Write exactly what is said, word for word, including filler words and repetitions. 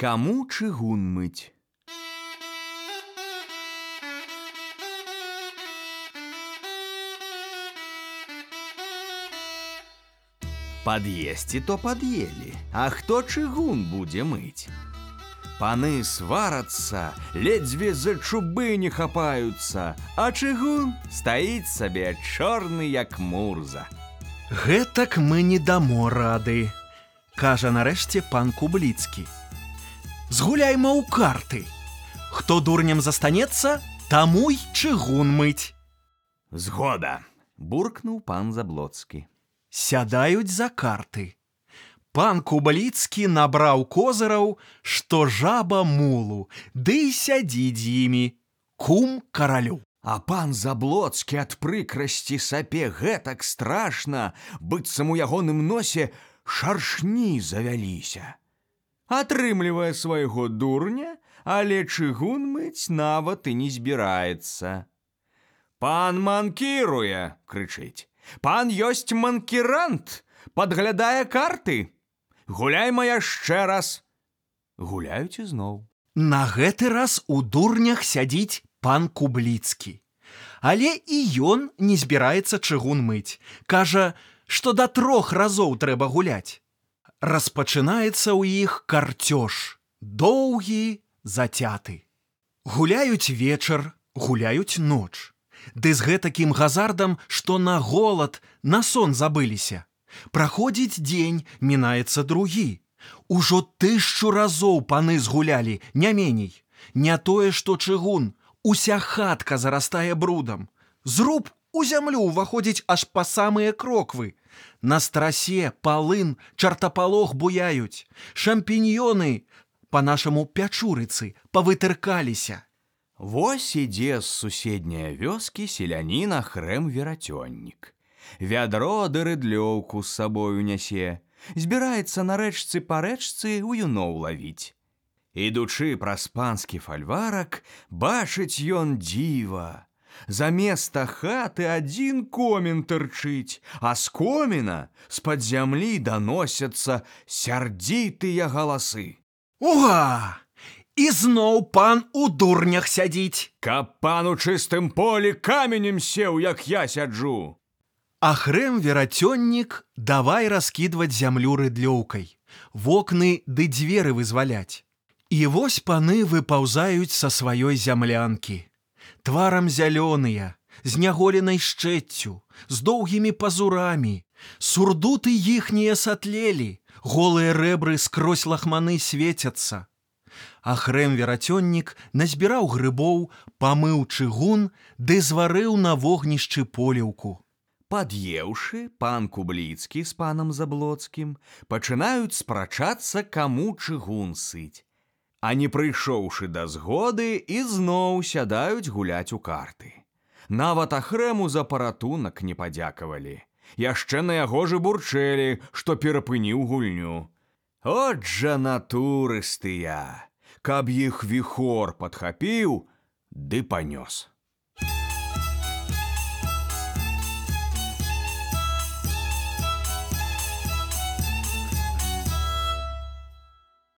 Каму чыгун мыць? Пад'есці то пад'елі, а хто чыгун будзе мыць? Паны сварацца, ледзьве за чубы не хапаюцца, а чыгун стаіць сабе чорны, як мурза. Гэтак мы не дамо рады, кажа нарэшце пан Кубліцкі. Згуляйма ў карты. Хто дурнем застанецца, таму й чыгун мыць. Згода, буркнуў пан Заблоцкі. Сядаюць за карты. Пан Кубліцкі набраў козыраў, што жаба мулу, ды і сядзіць з імі, кум каралю. А пан Заблоцкі ад прыкрасці сапе гэтак страшна, быццам у ягоным носе шаршні завяліся. Атрымлівае свайго дурня, але чыгун мыць нават і не збіраецца. «Пан манкіруе!» – крычыць. «Пан ёсць манкірант, падглядае карты. Гуляйма яшчэ раз!» Гуляюць ізноў. На гэты раз у дурнях сядзіць пан Кубліцкі. Але і ён не збіраецца чыгун мыць. Кажа, што да трох разоў трэба гуляць. Распачынаецца ў іх карцёж, доўгі, зацяты. Гуляюць вечар, гуляюць ноч. Ды з гэтакім газардам, што на голад, на сон забыліся. Праходзіць дзень, мінаецца другі. Ужо тысячу разоў паны згулялі, не меней. Не тое, што чыгун, уся хатка зарастае брудам. Зруб у зямлю ўваходзіць аж па самыя кроквы. На страсе, палын, чартапалох буяюць. Шампіньёны, па-нашаму пячурыцы, павытыркаліся. Вось ідзе з суседняе вёскі селянін Ахрэм Верацённік. Вядро ды рыдлёўку з сабою нясе. Збіраецца на рэчцы па рэчцы у юноў лавіць. Ідучы праз панскі фальварак, бачыць ён дзіва. Заместа хаты адзін комін тырчыць, а з коміна з-пад зямлі даносяцца сярдзітыя галасы. Уга! І зноў пан у дурнях сядзіць. Каб пан у чыстым полі каменем сеў, як я сяджу. Ахрэм Верацённік давай раскідваць зямлю рыдлёўкай, вокны ды дзверы вызваляць. І вось паны выпаўзаюць са сваёй зямлянкі. Тварам зялёныя, з няголенай шчэццю, з доўгімі пазурамі. Сурдуты іхнія сатлелі, голыя рэбры скрозь лахманы свецяцца. Ахрэм Верацённік назбіраў грыбоў, памыў чыгун ды зварыў на вогнішчы поліўку. Пад'еўшы, пан Кубліцкі з панам Заблоцкім пачынаюць спрачацца, каму чыгун сыць. А не прыйшоўшы да згоды, ізноў сядаюць гуляць у карты. Нават Ахрэму за паратунак не падзякавалі. Яшчэ на яго ж бурчэлі, што перапыніў гульню. От жа натурыстыя! Каб іх віхор падхапіў, ды панёс.